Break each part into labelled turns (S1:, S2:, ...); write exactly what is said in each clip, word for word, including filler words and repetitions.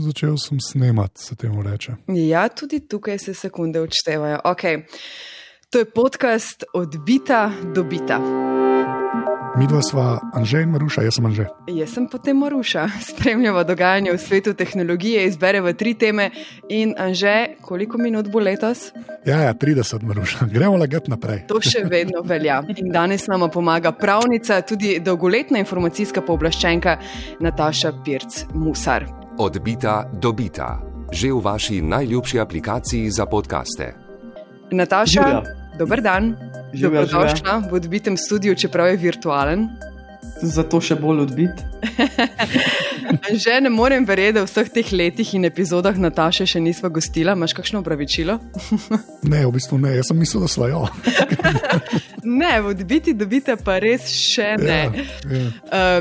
S1: začel sem snemati, se temu reče.
S2: Ja, tudi tukaj se sekunde odštevajo. Okay. To je podcast Odbita do bita.
S1: Midva sva Anže in Maruša, jaz sem Anže.
S2: Jaz sem potem Maruša. Spremljava dogajanje v svetu tehnologije, izbereva tri teme in Anže, koliko minut bo letos?
S1: Ja, ja, trideset, Maruša. Gremo lagat naprej.
S2: To še vedno velja. In danes nama pomaga pravnica, tudi dolgoletna informacijska pooblaščenka Nataša Pirc-Musar.
S3: Odbita do bita. Že v vaši najljubši aplikaciji za podcaste.
S2: Nataša, Živja. Dober dan.
S4: Živja,
S2: Dobrodošla v odbitem studiu, čeprav je virtualen.
S4: Zato še bolj odbit.
S2: Že ne morem verjeti, da v vseh teh letih in epizodah Nataše še nisva gostila. Imaš kakšno opravičilo?
S1: Ne, v bistvu ne. Jaz sem mislil, da sva jo.
S2: Ne, v odbiti dobite pa res še ne.
S1: Ja, ja.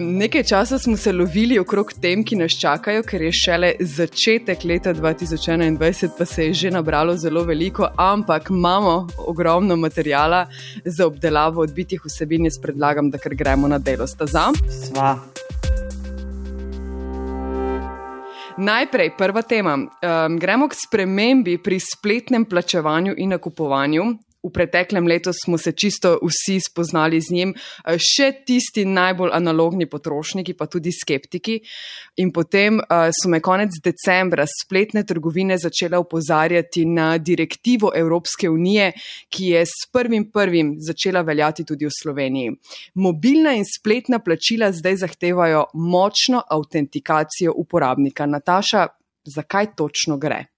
S2: Um, nekaj časa smo se lovili okrog tem, ki nas čakajo, ker je šele začetek leta dva tisoč enaindvajset, pa se je že nabralo zelo veliko, ampak imamo ogromno materijala za obdelavo odbitih vsebin. Jaz predlagam, da kar gremo na delo. Sta za?
S4: Sva.
S2: Najprej, prva tema. Um, gremo k spremembi pri spletnem plačevanju in nakupovanju. V preteklem letu smo se čisto vsi spoznali z njim, še tisti najbolj analogni potrošniki, pa tudi skeptiki. In potem uh, so me konec decembra spletne trgovine začele opozarjati na direktivo Evropske unije, ki je s prvim prvim začela veljati tudi v Sloveniji. Mobilna in spletna plačila zdaj zahtevajo močno autentikacijo uporabnika. Nataša, zakaj točno gre?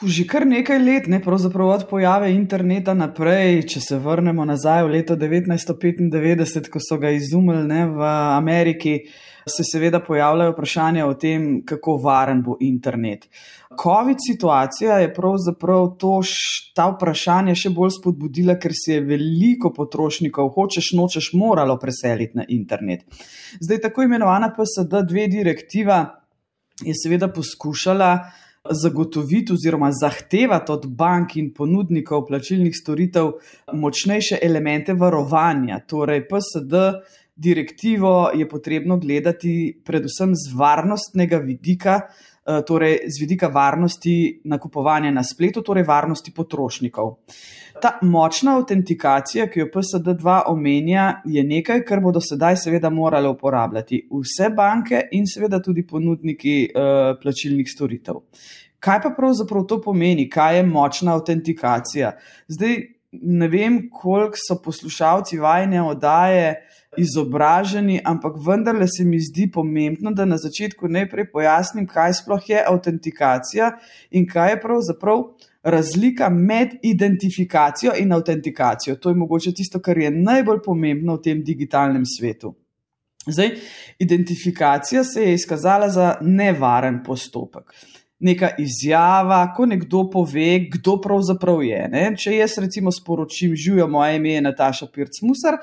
S4: Že kar nekaj let, ne, pravzaprav od pojave interneta naprej, če se vrnemo nazaj v leto devetnajststo petindevetdeset, ko so ga izumili, ne, v Ameriki, se seveda pojavljajo vprašanja o tem, kako varen bo internet. Covid situacija je pravzaprav to, ta vprašanja še bolj spodbudila, ker se je veliko potrošnikov, hočeš nočeš, moralo preseliti na internet. Zdaj, tako imenovana P S D dve direktiva je seveda poskušala zagotoviti oziroma zahtevati od bank in ponudnikov plačilnih storitev močnejše elemente varovanja. Torej, P S D direktivo je potrebno gledati predvsem z varnostnega vidika, torej z vidika varnosti nakupovanja na spletu, torej varnosti potrošnikov. Ta močna autentikacija, ki jo P S D dva omenja, je nekaj, kar bodo sedaj seveda morale uporabljati vse banke in seveda tudi ponudniki uh, plačilnih storitev. Kaj pa pravzaprav to pomeni? Kaj je močna autentikacija? Zdaj ne vem, koliko so poslušalci vajine oddaje izobraženi, ampak vendarle se mi zdi pomembno, da na začetku najprej pojasnim, kaj sploh je autentikacija in kaj je pravzaprav razlika med identifikacijo in autentikacijo. To je mogoče tisto, kar je najbolj pomembno v tem digitalnem svetu. Zdaj, identifikacija se je izkazala za nevaren postopek. Neka izjava, ko nekdo pove, kdo pravzaprav je. Ne? Če jaz recimo sporočim, živjo, moje ime je Nataša Pirc-Musar,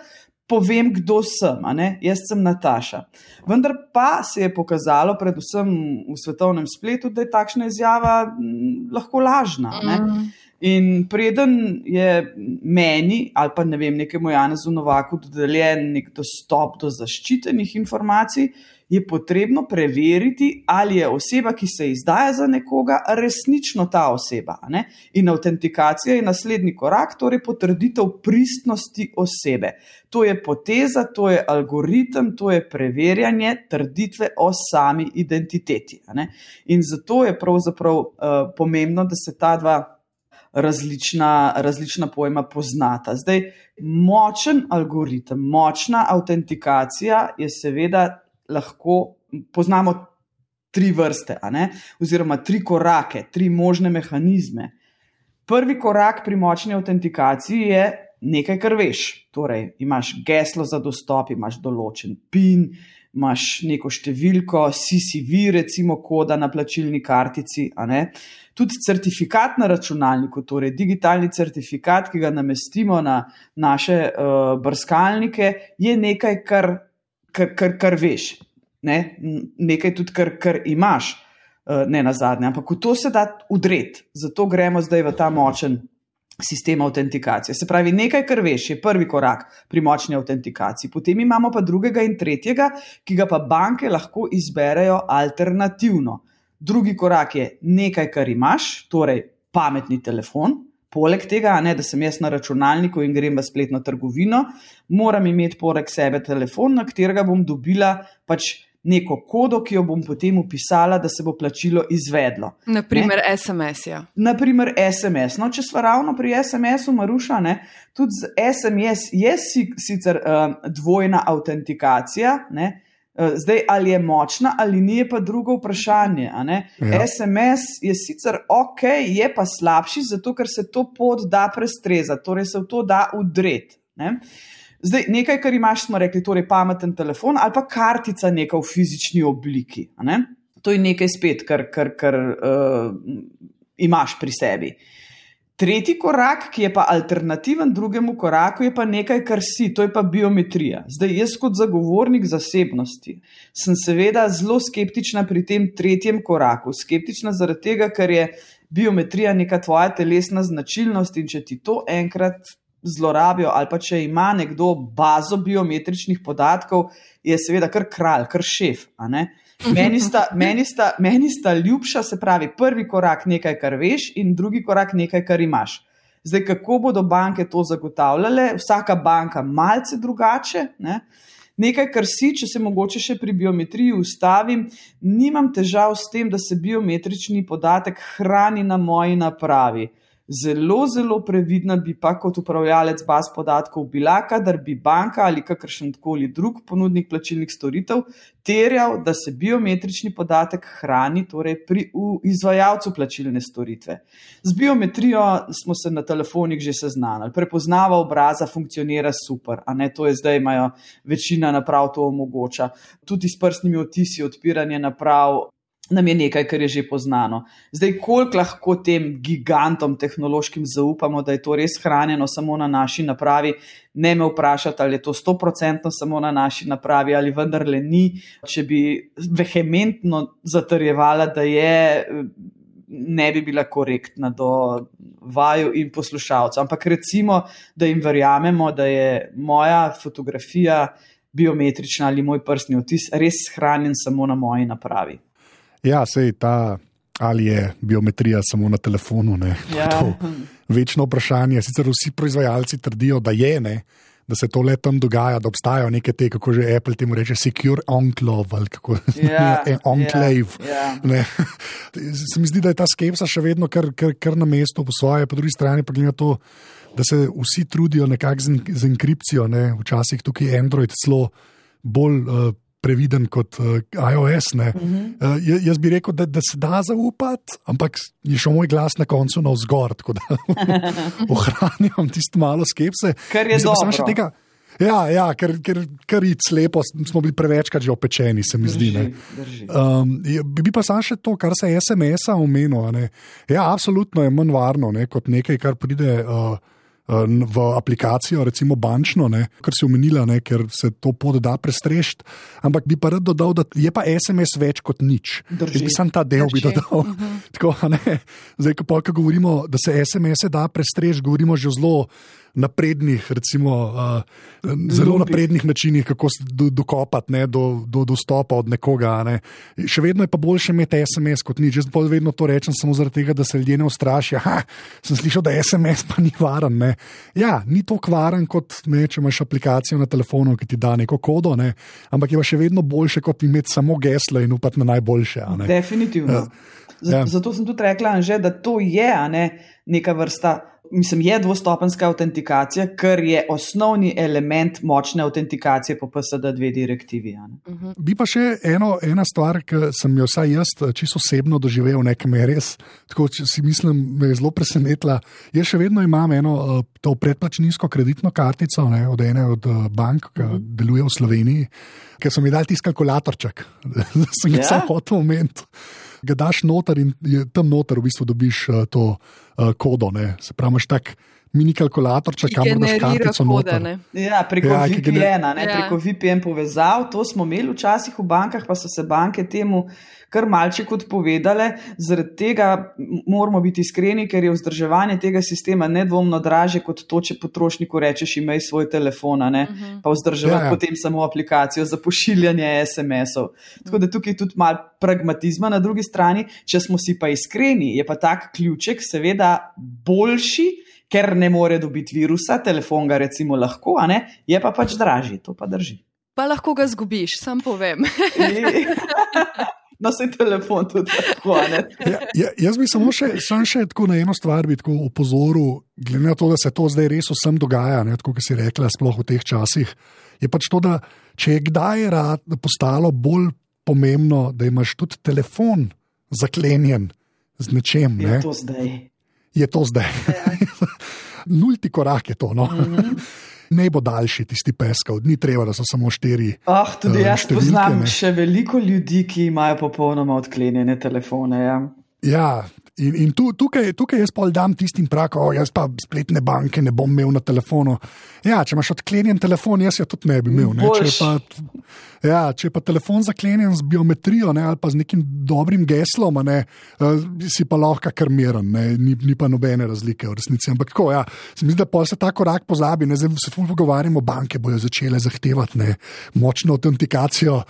S4: povem, kdo sem, a ne? Jaz sem Nataša. Vendar pa se je pokazalo, predvsem v svetovnem spletu, da je takšna izjava m, lahko lažna. Ne? In preden je meni ali pa ne vem, nekemu Janezu Novaku dodeljen nek dostop do zaščitenih informacij, je potrebno preveriti, ali je oseba, ki se izdaja za nekoga, resnično ta oseba. Ne? In autentikacija je naslednji korak, torej potrditev pristnosti osebe. To je poteza, to je algoritem, to je preverjanje trditve o sami identiteti. Ne? In zato je pravzaprav uh, pomembno, da se ta dva različna, različna pojma poznata. Zdaj, močen algoritem, močna autentikacija je seveda lahko, poznamo tri vrste, a ne? Oziroma tri korake, tri možne mehanizme. Prvi korak pri močni autentikaciji je nekaj, kar veš. Torej, imaš geslo za dostop, imaš določen PIN, imaš neko številko, C C V, recimo koda na plačilni kartici, a ne? Tudi certifikat na računalniku, torej digitalni certifikat, ki ga namestimo na naše uh, brskalnike, je nekaj, kar Kar, kar, kar veš, ne? Nekaj tudi, kar, kar imaš, ne nazadnje, ampak v to se da udreti, zato gremo zdaj v ta močen sistem autentikacije. Se pravi, nekaj, kar veš, je prvi korak pri močni autentikaciji. Potem imamo pa drugega in tretjega, ki ga pa banke lahko izberejo alternativno. Drugi korak je nekaj, kar imaš, torej pametni telefon. Poleg tega, ne, da sem jaz na računalniku in grem v spletno trgovino, moram imeti poleg sebe telefon, na katerega bom dobila pač neko kodo, ki jo bom potem upisala, da se bo plačilo izvedlo.
S2: Naprimer ne? es em es, ja.
S4: Naprimer es em es. No, če sva ravno pri es em esu, Maruša, ne, tudi z es em es je sicer uh, dvojna autentikacija, ne, zdaj, ali je močna ali ni, je pa drugo vprašanje. A ne? Ja. es em es je sicer ok, je pa slabši, zato ker se to pot da prestrezati, torej se v to da udreti. Ne? Zdaj, nekaj, kar imaš, smo rekli, torej pameten telefon ali pa kartica neka v fizični obliki. A ne? To je nekaj spet, kar, kar, kar uh, imaš pri sebi. Tretji korak, ki je pa alternativen drugemu koraku, je pa nekaj, kar si, to je pa biometrija. Zdaj, jaz kot zagovornik zasebnosti sem seveda zelo skeptična pri tem tretjem koraku. Skeptična zaradi tega, ker je biometrija neka tvoja telesna značilnost in če ti to enkrat zlorabijo ali pa če ima nekdo bazo biometričnih podatkov, je seveda kar kralj, kar šef, a ne? Meni sta, meni, sta, meni sta ljubša, se pravi, prvi korak nekaj, kar veš in drugi korak nekaj, kar imaš. Zdaj, kako bodo banke to zagotavljale? Vsaka banka malce drugače, ne? Nekaj, kar si, če se mogoče še pri biometriji ustavim, nimam težav s tem, da se biometrični podatek hrani na moji napravi. Zelo, zelo previdna bi pa kot upravljalec baz podatkov bila, kadar bi banka ali kakršenkoli drug ponudnik plačilnih storitev terjal, da se biometrični podatek hrani torej pri izvajalcu plačilne storitve. Z biometrijo smo se na telefonih že seznanili. Prepoznava obraza funkcionira super, a ne, to je zdaj imajo večina naprav to omogoča. Tudi s prstnimi odtisi odpiranje naprav nam je nekaj, kar je že poznano. Zdaj, koliko lahko tem gigantom tehnološkim zaupamo, da je to res hranjeno samo na naši napravi, ne me vprašati, ali je to sto procentno samo na naši napravi, ali vendarle ni. Če bi vehementno zatrjevala, da je, ne bi bila korektna do vaju in poslušalcev. Ampak recimo, da jim verjamemo, da je moja fotografija biometrična ali moj prstni odtis res hranjen samo na moji napravi.
S1: Ja, sej ta, ali je biometrija samo na telefonu, ne.
S4: Ja.
S1: To večno vprašanje. Sicer vsi proizvajalci trdijo, da je, ne, da se to le tam dogaja, da obstajajo neke te, kako že Apple temu reče, secure enclave, ali kako,
S4: ja,
S1: enclave.
S4: Ja, ja.
S1: Ne. Se mi zdi, da je ta skepsa še vedno kar, kar, kar na mestu po svoje, po drugi strani pa gleda to, da se vsi trudijo nekako z, z enkripcijo, ne. Včasih tukaj Android celo bolj uh, previden kot uh, iOS. Ne. Uh-huh. Uh, jaz bi rekel, da, da se da zaupati, ampak je šel moj glas na koncu navzgor, tako da ohranjam tisto malo skepse.
S4: Kar je dobro.
S1: Tega, ja, ja, ker, ker, ker id slepo, smo bili prevečkrat že opečeni, se mi
S4: drži,
S1: zdi. Ne. Um, bi pa sam še to, kar se es em es-a omenil. Ne. Ja, absolutno je manj varno, ne, kot nekaj, kar pride uh, v aplikacijo, recimo bančno, ne, kar si omenila, ne, ker se to pot da prestrešiti, ampak bi pa rad dodal, da je pa es em es več kot nič.
S4: Drži.
S1: Jaz bi sam ta del
S4: Drži.
S1: bi dodal. Uh-huh. Tako, ne, zdaj, ko, ko govorimo, da se es em es-e da prestrešiti, govorimo že zelo naprednih, recimo, uh, zelo
S4: Lupi.
S1: naprednih načinih, kako se do, dokopati ne, do, do dostopa od nekoga. Ne. Še vedno je pa boljše imeti es em es kot nič. Jaz pa vedno to rečem samo zaradi tega, da se ljudje ne ustrašijo. Ha, sem slišal, da es em es pa ni varen. Ne. Ja, ni to kvaren kot, ne, če imaš aplikacijo na telefonu, ki ti da neko kodo, ne, ampak je pa še vedno boljše, kot imeti samo geslo in upati na najboljše. A ne.
S4: Definitivno. Z,
S1: Ja.
S4: Zato sem tudi rekla, Anže, da to je, a ne, neka vrsta, mislim, je dvostopenjska avtentikacija, ker je osnovni element močne avtentikacije po P S D dve direktivi. A ne.
S2: Uh-huh.
S1: Bi pa še eno, ena stvar, ki sem jo vsaj jaz čisto osebno doživel, nekaj je res, tako si mislim, me je zelo presenetila. Jaz še vedno imam eno to predplačninsko kreditno kartico, ne, od ene od bank, ki uh-huh. deluje v Sloveniji, ker so mi dali tisti kalkulatorček, da sem ga
S4: Ja?
S1: samo hotel omeniti. Ga daš noter in je, tam noter v bistvu dobiš uh, to uh, kodo. Ne. Se pravi, imaš tak mini kalkulatorček, kamor daš kartico noter.
S4: Ja, preko
S1: Ja,
S4: V
S1: ki
S4: P N-a, ne,
S2: Ja.
S4: preko V P N povezav, to smo imeli včasih v bankah, pa so se banke temu kar malček odpovedale. Zaradi tega m- moramo biti iskreni, ker je vzdrževanje tega sistema nedvomno draže kot to, če potrošniku rečeš, imej svoj telefon, a ne, pa vzdrževati
S1: Ja, ja.
S4: potem samo aplikacijo za pošiljanje es em esov. Tako da tukaj je tudi malo pragmatizma na drugi strani. Če smo si pa iskreni, je pa tak ključek seveda boljši, ker ne more dobiti virusa, telefon ga recimo lahko, a ne, je pa pač dražji, to pa drži.
S2: Pa lahko ga zgubiš, sam povem.
S4: No, se telefon tudi lahko, a ne.
S1: Ja, ja, jaz bi samo še, sam še tako na eno stvar bi tako opozoril, glede na to, da se to zdaj res vsem dogaja, ne, tako kot si rekla, sploh v teh časih, je pač to, da če je kdaj rad postalo bolj pomembno, da imaš tudi telefon zaklenjen z nečem,
S4: Je
S1: ne,
S4: to zdaj.
S1: je to zdaj. Nulti korak je to. No? Mm-hmm. Ne bo daljši tisti peskov, ni treba, da so samo štiri.
S4: Ah, tudi
S1: eh,
S4: jaz
S1: številke,
S4: poznam
S1: ne.
S4: še veliko ljudi, ki imajo popolnoma odklenjene telefone. Ja.
S1: Ja, in, in tu, tukaj, tukaj jaz pol dam tistim prak, o, jaz pa spletne banke ne bom imel na telefonu. Ja, če imaš odklenjen telefon, jaz jo tudi ne bi imel. Ne? Če, je pa, ja, če je pa telefon zaklenjen z biometrijo, ne, ali pa z nekim dobrim geslom, a ne, uh, si pa lahko kar miren, ne, ni, ni pa nobene razlike v resnici. Ampak tako, ja, se mi zdi, da pol se ta korak pozabi, ne, zdaj se ful pogovarjamo, banke bojo začele zahtevati ne, močno autentikacijo,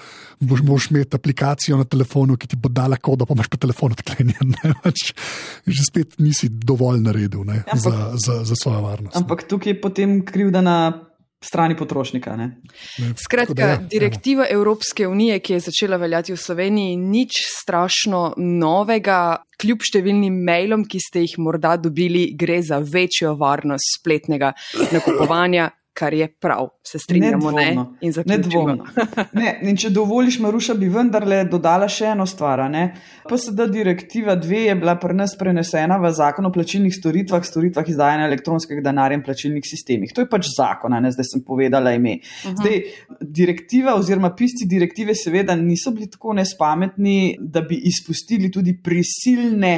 S1: boš, boš imeti aplikacijo na telefonu, ki ti bo dala kodo, pa imaš pa telefon odklenjen. Ne, pač, že spet nisi dovolj naredil ne,
S4: Ampak-
S1: za, za, za svojo varnost.
S4: Ampak tukaj je potem krivda na strani potrošnika. Ne?
S1: Ne.
S2: Skratka,
S1: Tako da ja,
S2: direktiva Evropske unije, ki je začela veljati v Sloveniji, nič strašno novega, kljub številnim mailom, ki ste jih morda dobili, gre za večjo varnost spletnega nakupovanja, kar je prav, se strinjamo, ne?
S4: Nedvomno.
S2: In zaključimo.
S4: Nedvomno. Ne, in če dovoliš, Maruša, bi vendarle dodala še eno stvar. a ne. P S D direktiva dve je bila pri nas prenesena v zakon o plačilnih storitvah, storitvah izdajanja elektronskega denarja in plačilnih sistemih. To je pač zakon, a ne, zdaj sem povedala ime. Zdaj, direktiva oziroma pisci direktive seveda niso bili tako nespametni, da bi izpustili tudi prisilne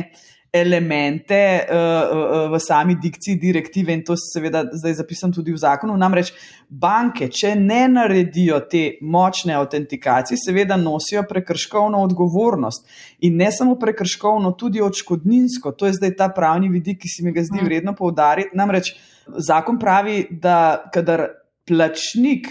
S4: elemente uh, uh, v sami dikciji direktive in to seveda zdaj zapisam tudi v zakonu. Namreč banke, če ne naredijo te močne autentikacije, seveda nosijo prekrškovno odgovornost in ne samo prekrškovno, tudi odškodninsko. To je zdaj ta pravni vidik, ki si mi ga zdi vredno poudariti. Namreč zakon pravi, da kadar plačnik,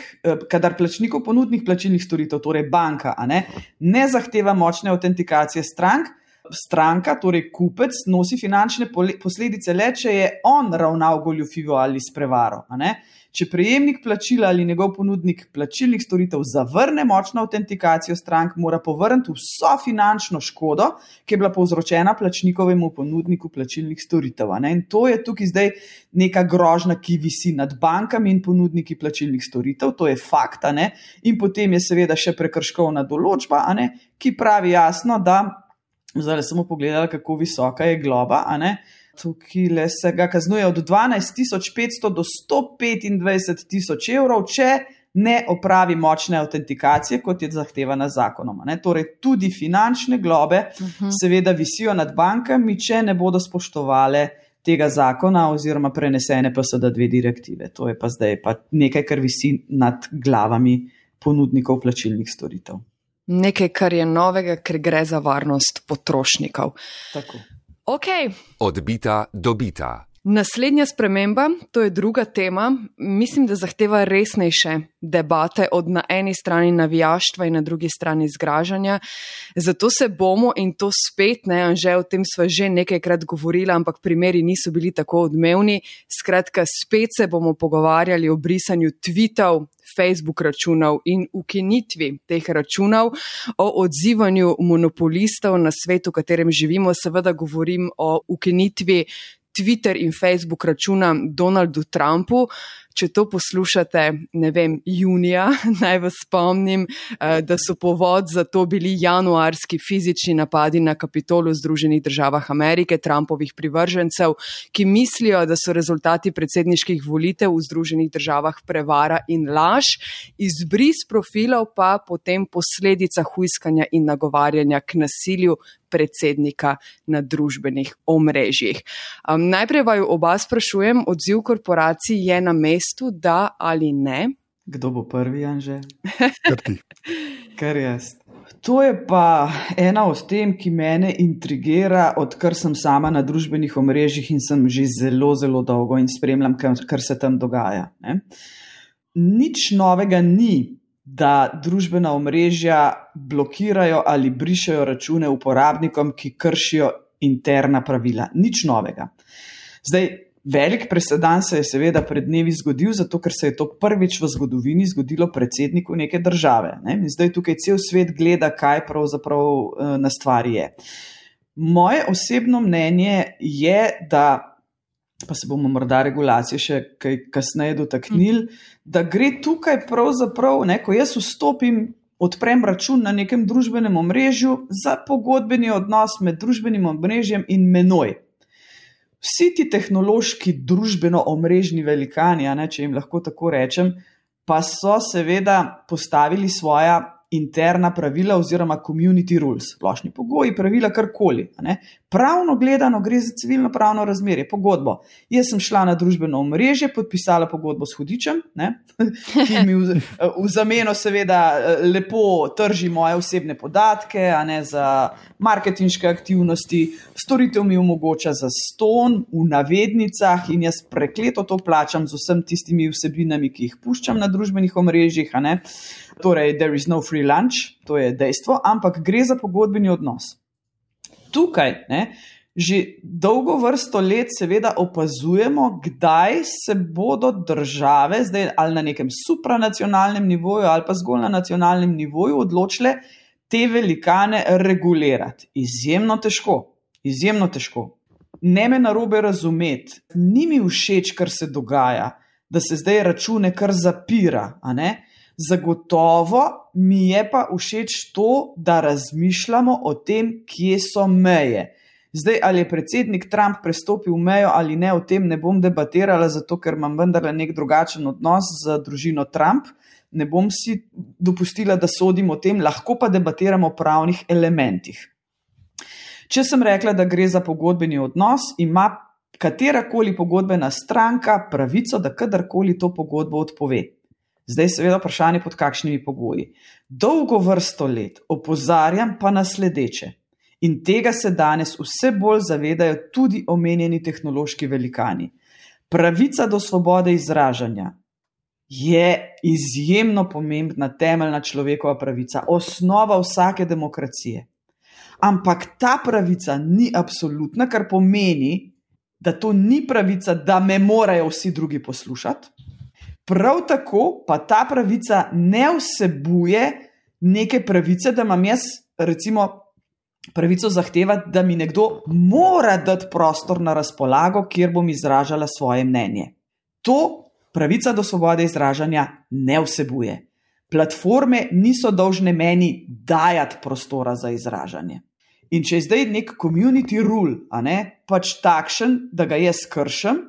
S4: kadar plačnikov ponudnik plačilnih storitev, torej banka, a ne, ne zahteva močne autentikacije strank, stranka, torej kupec, nosi finančne posledice le, če je on ravnal goljufivo ali s prevaro. A ne? Če prejemnik plačila ali njegov ponudnik plačilnih storitev zavrne močno autentikacijo strank, mora povrniti vso finančno škodo, ki je bila povzročena plačnikovemu ponudniku plačilnih storitev. A ne? In to je tukaj zdaj neka grožnja, ki visi nad bankami in ponudniki plačilnih storitev, to je fakt. A ne? In potem je seveda še prekrškovna določba, a ne? Ki pravi jasno, da zdaj samo pogledala, kako visoka je globa, a ne? Tukaj le se ga kaznuje od dvanajst tisoč petsto do sto petindvajset tisoč evrov, če ne opravi močne autentikacije, kot je zahtevana zakonom. A ne? Torej tudi finančne globe uh-huh. seveda visijo nad bankami, če ne bodo spoštovale tega zakona oziroma prenesene P S D dve direktive. To je pa zdaj pa nekaj, kar visi nad glavami ponudnikov plačilnih storitev.
S2: Nekaj, kar je novega, ker gre za varnost potrošnikov.
S4: Tako.
S2: Ok.
S3: Odbita, dobita.
S2: Naslednja sprememba, to je druga tema, mislim, da zahteva resnejše debate od na eni strani navijaštva in na drugi strani zgražanja. Zato se bomo, in to spet, ne, Anže, o tem sva že nekajkrat govorila, ampak primeri niso bili tako odmevni. Skratka, spet se bomo pogovarjali o brisanju tweetov, Facebook računov in ukinitvi teh računov, o odzivanju monopolistov na svetu, v katerem živimo. Seveda govorim o ukinitvi Twitter in Facebook računa Donaldu Trumpu. če to poslušate, ne vem, junija, naj vas spomnim, da so povod za to bili januarski fizični napadi na Kapitol v Združenih državah Amerike, Trumpovih privržencev, ki mislijo, da so rezultati predsedniških volitev v Združenih državah prevara in laž, izbris profilov pa potem posledica hujskanja in nagovarjanja k nasilju predsednika na družbenih omrežjih. Um, najprej vaju oba sprašujem, odziv korporacij je na mestu, da ali ne?
S4: Kdo bo prvi, Anže?
S1: Kar ti.
S4: Kar jaz. To je pa ena od tem, ki mene intrigira, odkar sem sama na družbenih omrežjih in sem že zelo, zelo dolgo in spremljam, kar se tam dogaja. Ne? Nič novega ni, da družbena omrežja blokirajo ali brišejo račune uporabnikom, ki kršijo interna pravila. Nič novega. Zdaj, velik presedan se je seveda pred dnevi zgodil, zato ker se je to prvič v zgodovini zgodilo predsedniku neke države. Ne? In zdaj tukaj cel svet gleda, kaj pravzaprav na stvari je. Moje osebno mnenje je, da pa se bomo morda regulacije še kaj kasneje dotaknili, da gre tukaj pravzaprav, ne, ko jaz vstopim, odprem račun na nekem družbenem omrežju za pogodbeni odnos med družbenim omrežjem in menoj. Vsi ti tehnološki družbeno omrežni velikani, ne, če jim lahko tako rečem, pa so seveda postavili svoja interna pravila oziroma community rules, splošni pogoji, pravila, karkoli. Ne. Pravno gledano gre za civilno pravno razmerje, pogodbo. Jaz sem šla na družbeno omrežje, podpisala pogodbo s hudičem, ne, ki mi v, v zameno seveda lepo trži moje osebne podatke, a ne, za marketinške aktivnosti, storitev mi omogoča za ston v navednicah in jaz prekleto to plačam z vsem tistimi vsebinami, ki jih puščam na družbenih omrežjih, a ne. Torej, there is no free lunch, to je dejstvo, ampak gre za pogodbeni odnos. Tukaj, ne, že dolgo vrsto let seveda opazujemo, kdaj se bodo države, zdaj ali na nekem supranacionalnem nivoju ali pa zgolj na nacionalnem nivoju odločile te velikane regulirati. Izjemno težko, izjemno težko. Ne me narobe razumeti, ni mi všeč, kar se dogaja, da se zdaj račune kar zapira, a ne? Zagotovo mi je pa všeč to, da razmišljamo o tem, kje so meje. Zdaj, ali je predsednik Trump prestopil mejo ali ne, o tem ne bom debatirala, zato ker imam vendarle nek drugačen odnos z družino Trump. Ne bom si dopustila, da sodim o tem, lahko pa debatiramo o pravnih elementih. Če sem rekla, da gre za pogodbeni odnos, ima katerakoli pogodbena stranka pravico, da kadarkoli to pogodbo odpove. Zdaj seveda vprašanje, pod kakšnimi pogoji. Dolgo vrsto let opozarjam pa na sledeče. In tega se danes vse bolj zavedajo tudi omenjeni tehnološki velikani. Pravica do svobode izražanja je izjemno pomembna temeljna človekova pravica, osnova vsake demokracije. Ampak ta pravica ni absolutna, kar pomeni, da to ni pravica, da me morajo vsi drugi poslušati. Prav tako pa ta pravica ne vsebuje neke pravice, da imam jaz recimo pravico zahtevati, da mi nekdo mora dati prostor na razpolago, kjer bom izražala svoje mnenje. To pravica do svobode izražanja ne vsebuje. Platforme niso dolžne meni dajati prostora za izražanje. In če je zdaj nek community rule, a ne, pač takšen, da ga jaz kršem,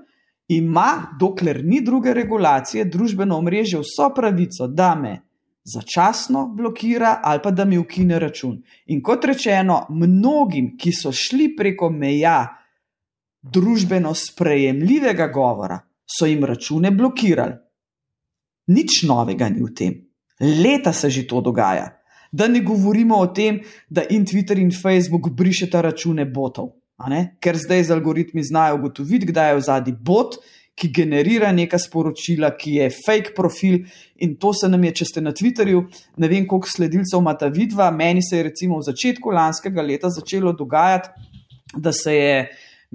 S4: ima, dokler ni druge regulacije, družbeno omrežje vso pravico, da me začasno blokira ali pa da mi ukine račun. In kot rečeno, mnogim, ki so šli preko meja družbeno sprejemljivega govora, so jim račune blokirali. Nič novega ni v tem. Leta se že to dogaja. Da ne govorimo o tem, da in Twitter in Facebook brišeta račune botov. Ker zdaj z algoritmi znajo ugotoviti, kdaj je v zadnji bot, ki generira neka sporočila, ki je fake profil in to se nam je, če ste na Twitterju, ne vem koliko sledilcev imata vidva, meni se je recimo v začetku lanskega leta začelo dogajati, da se je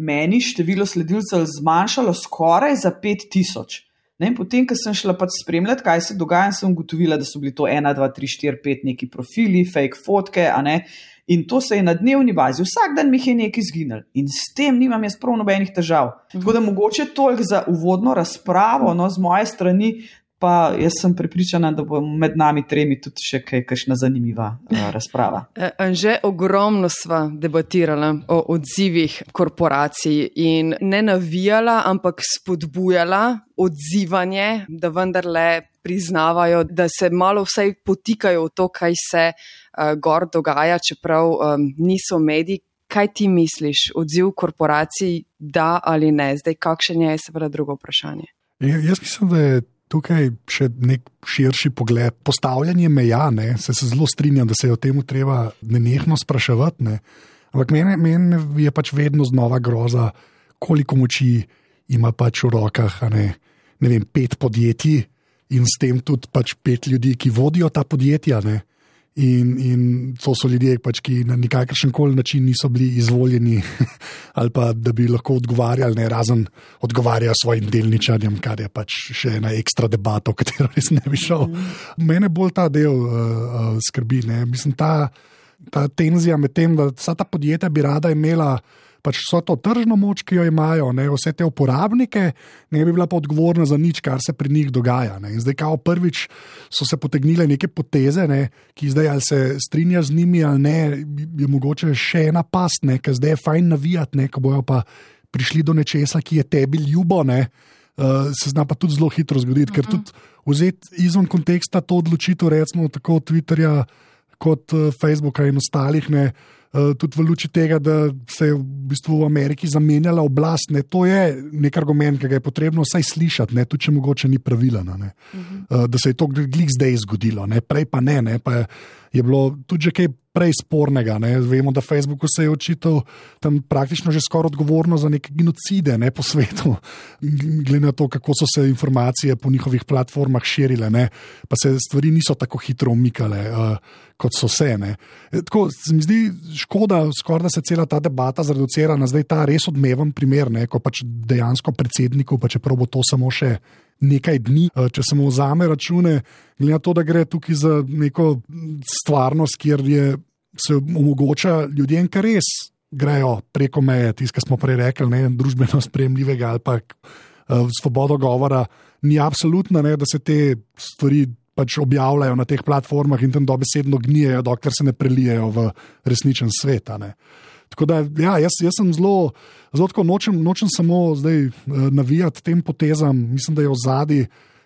S4: meni število sledilcev zmanjšalo skoraj za pet tisoč. In potem, ko sem šla pač spremljati, kaj se dogaja, sem ugotovila, da so bili to ena, dva, tri, štiri, pet neki profili, fake fotke, a ne, In to se je na dnevni bazi, vsak dan mi je nekaj izginil in s tem nimam jaz prav nobenih težav. Tako da mogoče toliko za uvodno razpravo, no, z moje strani, pa jaz sem prepričana, da bo med nami tremi tudi še kaj, kakšna zanimiva uh, razprava.
S2: Že ogromno sva debatirala o odzivih korporacij in ne navijala, ampak spodbujala odzivanje, da vendarle priznavajo, da se malo vsaj potikajo v to, kaj se uh, gor dogaja, čeprav um, niso mediji. Kaj ti misliš, odziv korporacij, da ali ne? Zdaj, kakšen je seveda drugo vprašanje?
S1: Ja, jaz mislim, da je tukaj še nek širši pogled. Postavljanje meja, ne, se, se zelo strinjam, da se je o tem treba nenehno spraševati. Ne. Ampak mene, mene je pač vedno znova groza, koliko moči ima pač v rokah, a ne, ne vem, pet podjetij in s tem tudi pač pet ljudi, ki vodijo ta podjetja. Ne. In, in to so ljudje, pač, ki na nikakršen koli način niso bili izvoljeni ali pa da bi lahko odgovarjali, ne, razen odgovarjajo svojim delničarjem, kar je pač še ena ekstra debata, o katero res ne bi šel. Mm. Mene bolj ta del uh, uh, skrbi. Ne. Mislim, ta, ta tenzija med tem, da vsa ta podjetja bi rada imela pač vso to tržno moč, ki jo imajo, ne, vse te uporabnike, ne bi bila pa odgovorna za nič, kar se pri njih dogaja. Ne. In zdaj kao prvič so se potegnile neke poteze, ne, ki zdaj ali se strinja z njimi ali ne, je mogoče še ena past, ne, ker zdaj je fajn navijati, ne, ko bojo pa prišli do nečesa, ki je tebi ljubo, ne, uh, se zna pa tudi zelo hitro zgoditi, ker tudi vzeti izven konteksta to odločitev, recimo tako Twitterja kot uh, Facebooka in ostalih, ne, Uh, tudi v luči tega, da se je v bistvu v Ameriki zamenjala oblast, ne, to je nek argument, ki ga je potrebno vsaj slišati, ne, tudi če mogoče ni pravilen, ne, uh-huh. uh, da se je to glih zdaj zgodilo, ne, prej pa ne, ne, pa je, je bilo tudi že kaj prej spornega. Ne. Vemo, da Facebooku se je očital tam praktično že skoraj odgovorno za neke genocide, ne, po svetu, glede na to, kako so se informacije po njihovih platformah širile, ne, pa se stvari niso tako hitro umikale, uh, kot so se. Ne. Tako se mi zdi škoda, skoraj da se cela ta debata zreducira na zdaj ta res odmeven primer, ne, ko pač dejansko predsedniku, pa čeprav bo to samo še nekaj dni, če se mu vzame račune, glede na to, da gre tukaj za neko stvarnost, kjer je, se omogoča ljudem, ki res grejo preko meje, tisto, kar smo prej rekli, ne, družbeno sprejemljivega ali pa uh, svobodo govora, ni absolutna, ne, da se te stvari pač objavljajo na teh platformah in tam dobesedno gnijejo, dokler se ne prelijejo v resničen svet. Ne. Tako da, ja, jaz, jaz sem zelo, zelo tako nočem, nočem samo zdaj navijati tem potezam. Mislim, da je v zadnji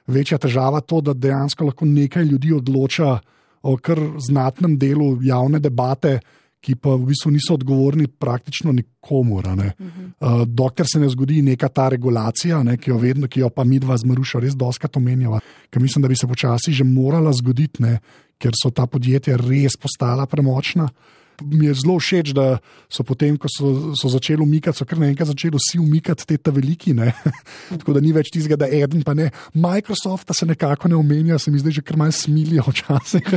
S1: večja težava to, da dejansko lahko nekaj ljudi odloča o kar znatnem delu javne debate, ki pa v bistvu niso odgovorni praktično nikomur. Uh-huh. Uh, dokler se ne zgodi neka ta regulacija, ne, ki jo vedno, ki jo pa mi dva z Marušo res doskrat omenjava, ker mislim, da bi se počasi že morala zgoditi, ne, ker so ta podjetja res postala premočna. Mi je zelo všeč, da so potem, ko so, so začeli umikati, so kar naenkrat začeli vsi umikati te ta veliki, ne. Tako da ni več tistega, da eden pa ne. Microsofta se nekako ne omenja, se mi zdaj že kar malo smilijo včasih.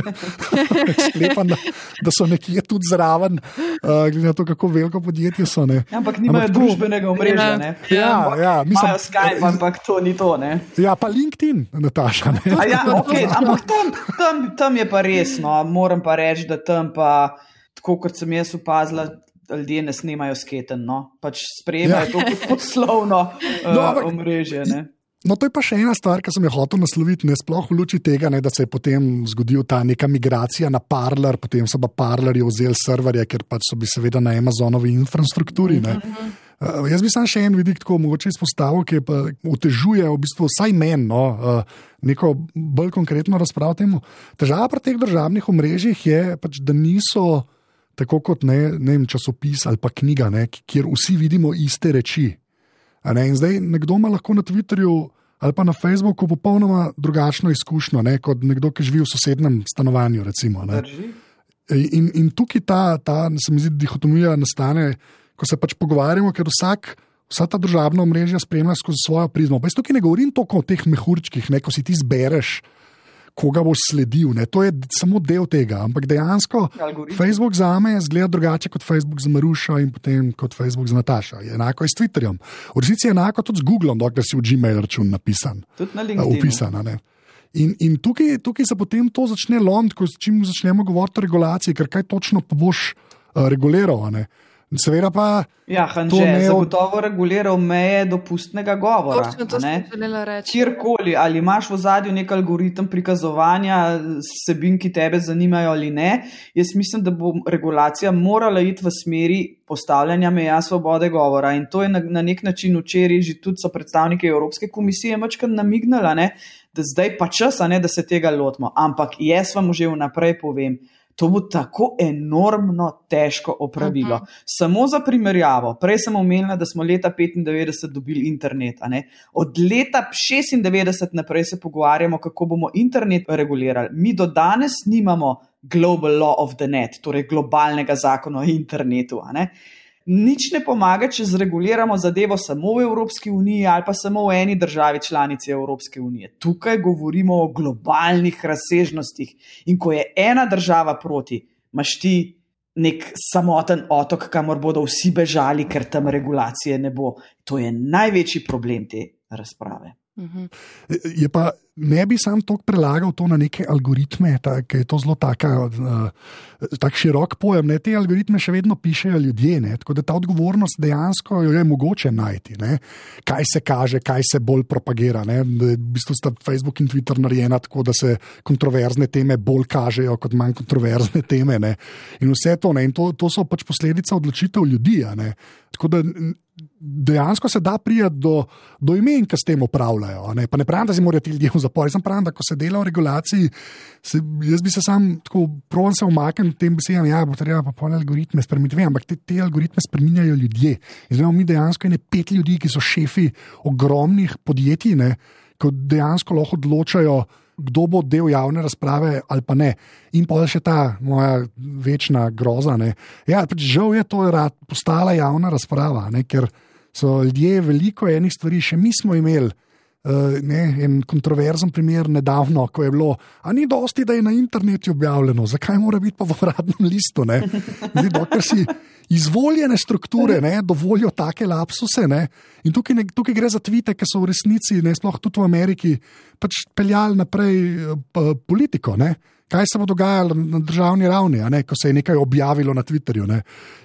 S1: Sklepam, da, da so nekje tudi zraven, uh, glede na to, kako veliko podjetje so, ne.
S4: Ampak nimajo ampak družbenega omrežja, ne.
S1: Ja, ja. Mislim,
S4: imajo Skype, ampak to ni to, ne.
S1: Ja, pa LinkedIn, Nataša, ne.
S4: A ja, okej, okay, ampak tam, tam, tam je pa res, no. Moram pa reči, da tam pa tako kot sem jaz opazila, ljudje ne snemajo sketen, no. Pač sprejemajo ja. To kot poslovno uh, no, omrežje, ne.
S1: No, to je pa še ena stvar, ki sem jo hotel nasloviti, ne, sploh v luči tega, ne, da se je potem zgodil ta neka migracija na Parler, potem so pa Parlerji vzeli serverje, ker pač so bi seveda na Amazonovi infrastrukturi, ne. Uh, jaz bi sam še en vidik tako mogoče izpostavil, ki pa otežuje v bistvu vsaj men, no, uh, neko bolj konkretno razpravo temu. Težava pri teh državnih omrežjih je pač, da niso tako kot ne, ne vem, časopis ali pa knjiga, ne, kjer vsi vidimo iste reči. A ne, in zdaj nekdo ima lahko na Twitterju ali pa na Facebooku popolnoma drugačno izkušnjo, ne, kot nekdo, ki živi v sosednem stanovanju, recimo. Ne. In, in tukaj ta, ta, se mi zdi, dihotomija nastane, ko se pač pogovarjamo, ker vsak, vsa ta družabna omrežja spremlja skozi svojo prizmo. Pa jaz tukaj ne govorim toliko o teh mehurčkih, ne, ko si ti zbereš, koga boš sledil, ne. To je samo del tega, ampak dejansko algoritm. Facebook zame zgleda drugače kot Facebook za Marušo in potem kot Facebook za Natašo. Je enako je s Twitterjem. V resnici je enako tudi z Googlom, dokler si v Gmail račun napisan.
S4: Tudi na LinkedInu.
S1: Upisan, ne. In, in tukaj, tukaj se potem to začne lomiti, ko čim začnemo govoriti o regulaciji, ker kaj točno pa boš reguliral. Seveda pa.
S4: Ja, Hanže, ne zagotovo reguliral meje dopustnega govora.
S2: Točno to sem želela reči.
S4: Kjerkoli, ali imaš v zadju nek algoritem prikazovanja vsebin, ki tebe zanimajo ali ne, jaz mislim, da bo regulacija morala iti v smeri postavljanja meja svobode govora. In to je na, na nek način včeraj že tudi so predstavniki Evropske komisije mačkrat namignala, ne, da zdaj pa čas, ne, da se tega lotimo. Ampak jaz vam že vnaprej povem, to bo tako enormno težko opravilo. Uh-huh. Samo za primerjavo, prej sem omenila, da smo leta petindevetdeset dobili internet. A ne? Od leta šestindevetdeset naprej se pogovarjamo, kako bomo internet regulirali. Mi do danes nimamo Global Law of the Net, torej globalnega zakona o internetu. A ne? Nič ne pomaga, če zreguliramo zadevo samo v Evropski uniji ali pa samo v eni državi članici Evropske unije. Tukaj govorimo o globalnih razsežnostih in ko je ena država proti, imaš ti nek samoten otok, kamor bodo vsi bežali, ker tam regulacije ne bo. To je največji problem te razprave.
S1: Je pa, ne bi sam toliko prelagal to na neke algoritme, ker je to zelo taka, uh, tak širok pojem. Ne? Te algoritme še vedno pišejo ljudje, ne? Tako da ta odgovornost dejansko jo je mogoče najti. Ne? Kaj se kaže, kaj se bolj propagira. Ne? V bistvu sta Facebook in Twitter narejena tako, da se kontroverzne teme bolj kažejo kot manj kontroverzne teme. Ne? In vse to, ne? In to, to so pač posledica odločitev ljudi. Ne? Tako da dejansko se da prijeti do, do imen, ki s tem upravljajo. Ne? Pa ne pravim, da si morajo ti ljudje v zapor. Jaz sem pravim, da ko se dela v regulaciji, se, jaz bi se sam tako provam se umaknil tem besedam, ja, bo treba pa pol algoritme spremeniti. Vem, ampak te, te algoritme spreminjajo ljudje. Zdaj mi dejansko ene pet ljudi, ki so šefi ogromnih podjetij, ne? Ko dejansko lahko odločajo, kdo bo del javne razprave ali pa ne. In pa še ta moja večna groza. Ne. Ja, pač žal je to rad postala javna razprava, ne, ker so ljudje veliko enih stvari, še mi smo imeli uh, ne, en kontroverzen primer nedavno, ko je bilo, a ni dosti, da je na internetu objavljeno, zakaj mora biti pa v uradnem listu? Ne. Zdaj, dokler si izvoljene strukture ne, dovolijo take lapsuse. Ne. In tukaj, ne, tukaj gre za tvite, ki so v resnici, ne, sploh tudi v Ameriki, pač peljali naprej pa, politiko. Ne. Kaj se bo dogajalo na državni ravni, a ne, ko se je nekaj objavilo na Twitterju. Ne.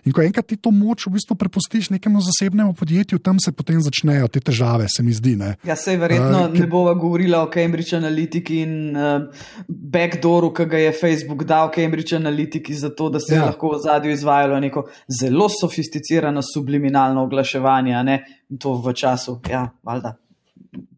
S1: In ko enkrat ti to moč v bistvu prepustiš nekemu zasebnemu podjetju, tam se potem začnejo te težave, se mi zdi. Ne.
S4: Ja, sej verjetno uh, ne bova govorila o Cambridge Analytiki in uh, backdooru, ki ga je Facebook dal Cambridge Analytiki za to, da se ja. je lahko v zadju izvajalo neko zelo sofisticirano subliminalno oglaševanje, a ne, in to v času, ja, valjda.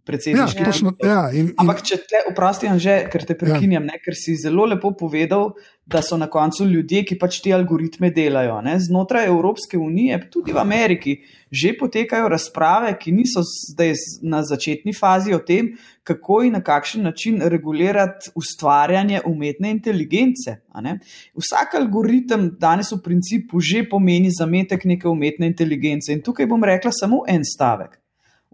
S1: Ja, točno, ja, in,
S4: Ampak če te oprosti, Anže, ker te prekinjam, ja. ne, ker si zelo lepo povedal, da so na koncu ljudje, ki pač ti algoritme delajo. Ne. Znotraj Evropske unije, tudi v Ameriki, že potekajo razprave, ki niso zdaj na začetni fazi o tem, kako in na kakšen način regulirati ustvarjanje umetne inteligence. A ne. Vsak algoritem danes v principu že pomeni zametek neke umetne inteligence. In tukaj bom rekla samo en stavek.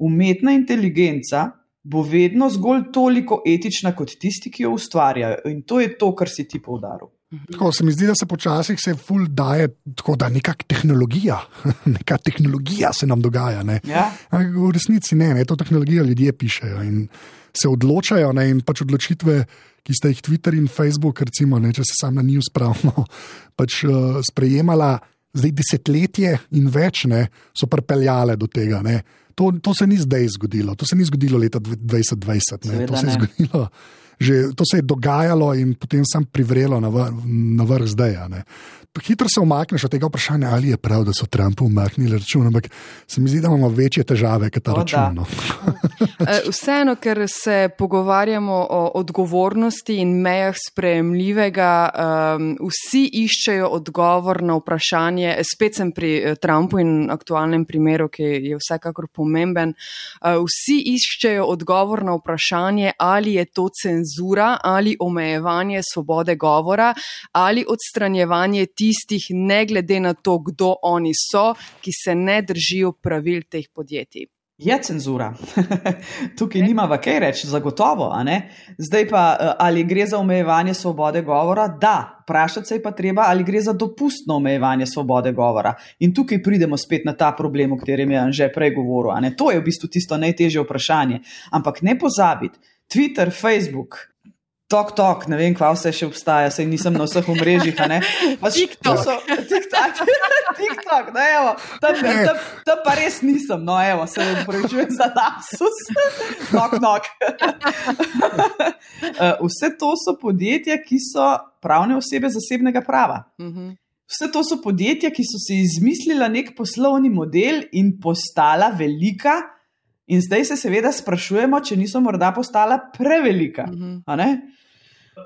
S4: Umetna inteligenca bo vedno zgolj toliko etična kot tisti, ki jo ustvarjajo. In to je to, kar si ti poudaril.
S1: Tako se mi zdi, da se počasih se ful daje tako, da nekak tehnologija, neka tehnologija se nam dogaja. Ne? Ja. V resnici ne, ne, to tehnologijo ljudje pišejo in se odločajo, ne, in pač odločitve, ki sta jih Twitter in Facebook, recimo, ne, če se sam na njih spravimo, pač uh, sprejemala zdaj desetletje in več, ne, so pripeljale do tega, ne. To, to se ni zdaj zgodilo, to se ni zgodilo leta dvajset dvajset, ne. To se je zgodilo, že, to se je dogajalo in potem sam privrelo na, vr, na vrh zdaj. Ne. Hitro se umakneš od tega vprašanja, ali je prav, da so Trumpu umaknili račun, ampak se mi zdi, da imamo večje težave, kot ta račun. No.
S2: Vseeno, ker se pogovarjamo o odgovornosti in mejah sprejemljivega, um, vsi iščejo odgovor na vprašanje, spet sem pri Trumpu in aktualnem primeru, ki je vsekakor pomemben, uh, vsi iščejo odgovor na vprašanje, ali je to cenzura, ali omejevanje svobode govora, ali odstranjevanje tistih, ne glede na to, kdo oni so, ki se ne držijo pravil teh podjetij.
S4: Je cenzura. Tukaj nimava kaj reči, zagotovo. A ne? Zdaj pa, ali gre za omejevanje svobode govora? Da. Vprašati se je pa treba, ali gre za dopustno omejevanje svobode govora. In tukaj pridemo spet na ta problem, o katerem je Anže prej govoril. A ne? To je v bistvu tisto najtežje vprašanje. Ampak ne pozabiti, Twitter, Facebook, Tok, tok, ne vem, kva vse še obstaja, sej nisem na vseh omrežjih, a ne?
S2: TikTok.
S4: TikTok, TikTok, no evo, tam, tam, tam pa res nisem, no evo, se upravičujem za lapsus. Knock, knock. Vse to so podjetja, ki so pravne osebe zasebnega prava. Vse to so podjetja, ki so si izmislila nek poslovni model in postala velika, in zdaj se seveda sprašujemo, če niso morda postala prevelika, a ne?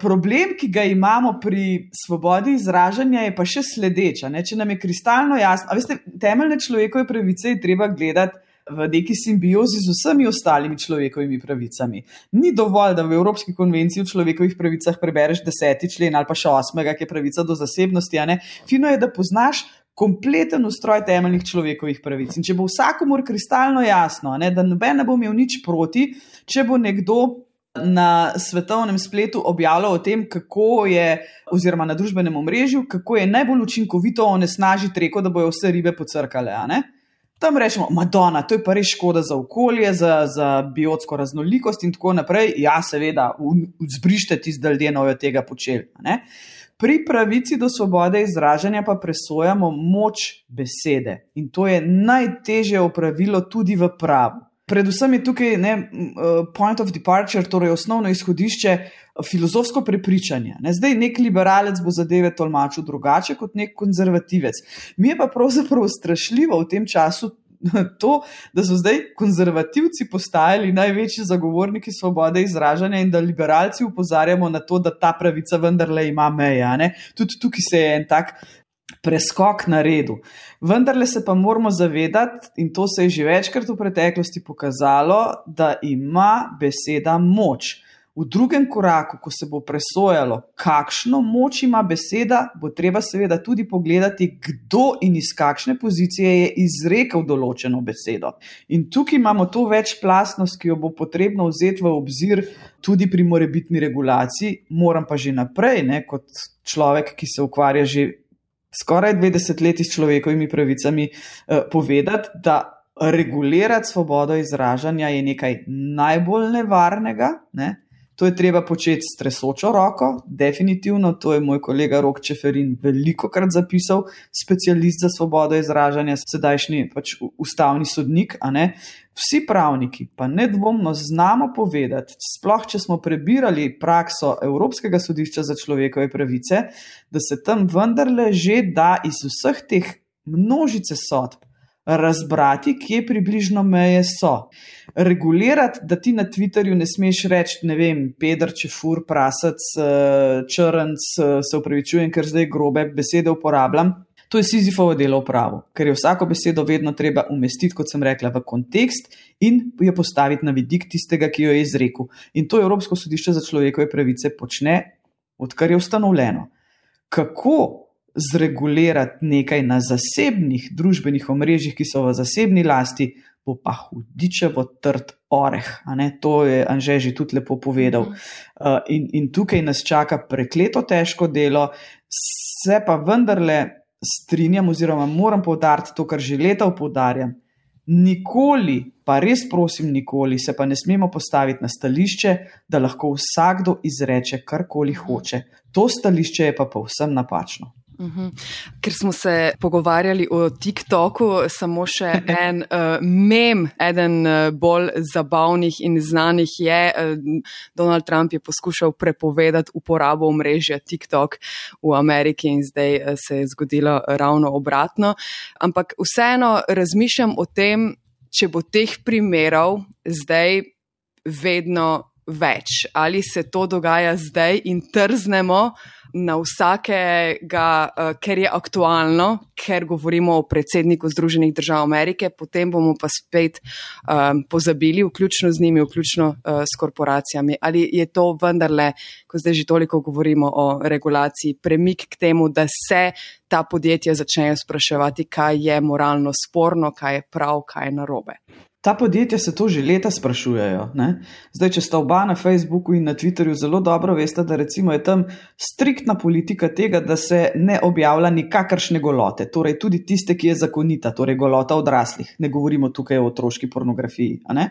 S4: Problem, ki ga imamo pri svobodi izražanja, je pa še sledeč, a ne? Če nam je kristalno jasno, a veste, temeljne človekove pravice je treba gledati v neki simbiozi z vsemi ostalimi človekovimi pravicami. Ni dovolj, da v Evropski konvenciji o človekovih pravicah prebereš deseti člen ali pa še osmega, ki je pravica do zasebnosti, a ne? Fino je, da poznaš kompleten ustroj temeljnih človekovih pravic. In če bo vsakomur kristalno jasno, a ne, da noben ne bo imel nič proti, če bo nekdo na svetovnem spletu objavljal o tem, kako je, oziroma na družbenem omrežju, kako je najbolj učinkovito onesnažiti reko, da bojo vse ribe pocrkale, a ne? Tam rečemo, Madonna, to je pa res škoda za okolje, za, za biotsko raznolikost in tako naprej. Ja, seveda, zbrište tisti, da ljudje nojo tega počeli, a ne? Pri pravici do svobode izražanja pa presojamo moč besede in to je najtežje opravilo tudi v pravu. Predvsem je tukaj ne, point of departure, torej osnovno izhodišče, filozofsko prepričanje. Ne, zdaj nek liberalec bo zadeve tolmačil drugače kot nek konzervativec. Mi je pa pravzaprav strašljivo v tem času to, da so zdaj konzervativci postajali največji zagovorniki svobode izražanja in da liberalci opozarjamo na to, da ta pravica vendarle ima meja. Ne? Tudi tukaj se je en tak preskok naredil. Vendarle se pa moramo zavedati, in to se je že večkrat v preteklosti pokazalo, da ima beseda moč. V drugem koraku, ko se bo presojalo, kakšno moč ima beseda, bo treba seveda tudi pogledati, kdo in iz kakšne pozicije je izrekel določeno besedo. In tukaj imamo to večplastnost, ki jo bo potrebno vzeti v obzir tudi pri morebitni regulaciji. Moram pa že naprej, ne, kot človek, ki se ukvarja že skoraj dve desetletji s človekovimi pravicami, eh, povedati, da regulirati svobodo izražanja je nekaj najbolj nevarnega, ne? To je treba početi s tresočo roko, definitivno, to je moj kolega Rok Čeferin velikokrat zapisal, specialist za svobodo izražanja, sedajšnji pač ustavni sodnik, a ne? Vsi pravniki pa nedvomno znamo povedati, sploh če smo prebirali prakso Evropskega sodišča za človekove pravice, da se tam vendarle že da iz vseh teh množice sodb razbrati, kje približno meje so. Regulirati, da ti na Twitterju ne smeš reči, ne vem, peder, čefur, prasac, črnc, se upravičujem, ker zdaj grobe besede uporabljam, to je Sizifovo delo v pravu, ker je vsako besedo vedno treba umestiti, kot sem rekla, v kontekst in jo postaviti na vidik tistega, ki jo je izrekel. In to Evropsko sodišče za človekove pravice počne, odkar je ustanovljeno. Kako zregulirati nekaj na zasebnih družbenih omrežjih, ki so v zasebni lasti, bo pa hudičevo trd oreh. A ne? To je Anže že tudi lepo povedal. Uh, in, in tukaj nas čaka prekleto težko delo, se pa vendarle strinjam oziroma moram poudariti to, kar že leta poudarjam. Nikoli, pa res prosim nikoli, se pa ne smemo postaviti na stališče, da lahko vsakdo izreče karkoli hoče. To stališče je pa povsem napačno.
S2: Uhum. Ker smo se pogovarjali o TikToku, samo še en uh, mem, eden uh, bolj zabavnih in znanih je, uh, Donald Trump je poskušal prepovedati uporabo omrežja TikTok v Ameriki in zdaj uh, se je zgodilo ravno obratno. Ampak vseeno razmišljam o tem, če bo teh primerov zdaj vedno več. Ali se to dogaja zdaj in trznemo na vsakega, ker je aktualno, ker govorimo o predsedniku Združenih držav Amerike, potem bomo pa spet um, pozabili, vključno z njimi, vključno uh, s korporacijami. Ali je to vendarle, ko zdaj že toliko govorimo o regulaciji, premik k temu, da se ta podjetja začnejo spraševati, kaj je moralno sporno, kaj je prav, kaj je narobe?
S4: Ta podjetja se to že leta sprašujejo. Ne? Zdaj, če sta oba na Facebooku in na Twitterju, zelo dobro veste, da recimo je tam striktna politika tega, da se ne objavlja nikakršne golote, torej tudi tiste, ki je zakonita, torej golota odraslih. Ne govorimo tukaj o otroški pornografiji. A ne?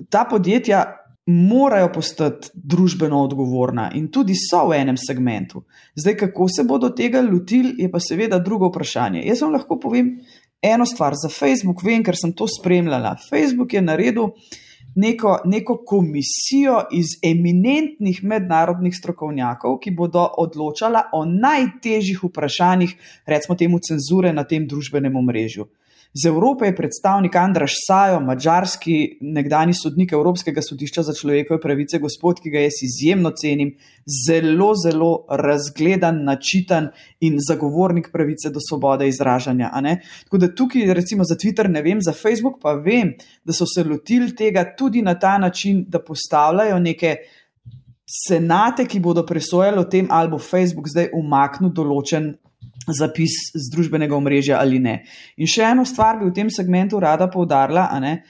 S4: Ta podjetja morajo postati družbeno odgovorna in tudi so v enem segmentu. Zdaj, kako se bodo tega lotili, je pa seveda drugo vprašanje. Jaz vam lahko povem eno stvar. Za Facebook vem, ker sem to spremljala. Facebook je naredil neko, neko komisijo iz eminentnih mednarodnih strokovnjakov, ki bodo odločala o najtežjih vprašanjih, recimo temu cenzure na tem družbenem omrežju. Z Evrope je predstavnik Andraš Sajo, madžarski nekdani sodnik Evropskega sodišča za človekove pravice, gospod, ki ga jaz izjemno cenim, zelo, zelo razgledan, načitan in zagovornik pravice do svobode izražanja. A ne? Tako da tukaj recimo za Twitter ne vem, za Facebook pa vem, da so se lotili tega tudi na ta način, da postavljajo neke senate, ki bodo presojali o tem, ali bo Facebook zdaj umaknil določen zapis z družbenega omrežja ali ne. In še eno stvar bi v tem segmentu rada poudarila, a ne,